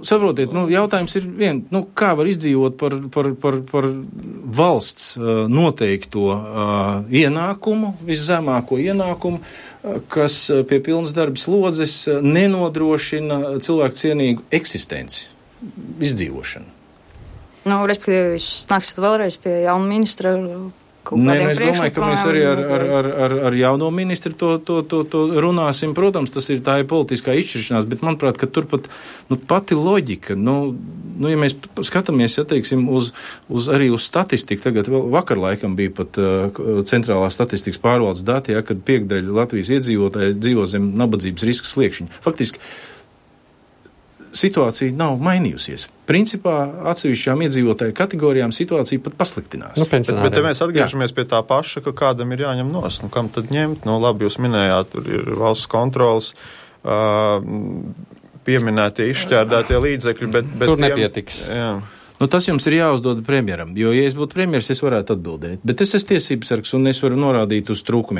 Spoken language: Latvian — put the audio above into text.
Saprotiet, jautājums ir kā var izdzīvot par valsts noteikto ienākumu, viszemāko ienākumu, kas pie pilnas darba slodzes nenodrošina cilvēku cienīgu eksistenci, izdzīvošanu. Respektīvi, jūs nāksiet vēlreiz pie jauna ministra. Es domāju, ka mēs arī ar jauno ministru to runāsim. Protams, tā ir politiskā izšķiršanās, bet manuprāt, ka turpat pati loģika, ja mēs skatāmies, teiksim, arī uz statistiku, tagad vakar laikam bija pat centrālā statistikas pārvaldes dati, kad 5% Latvijas iedzīvotāji dzīvo zem nabadzības riska sliekšņa. Faktiski situācija nav mainījusies. Principā atsevišķām iedzīvotāju kategorijām situācija pat pasliktinās. Bet te mēs atgriežamies pie tā paša, ka kādam ir jāņem nost. Kam tad ņemt? Labi, jūs minējāt, tur ir valsts kontrols, pieminētie izšķērdētie līdzekļi, bet tur nepietiks. Jā. Tas jums ir jāuzdod premjeram, jo, ja es būtu premjeras, es varētu atbildēt. Bet es esmu tiesības sargs un es varu norādīt uz trūkumiem.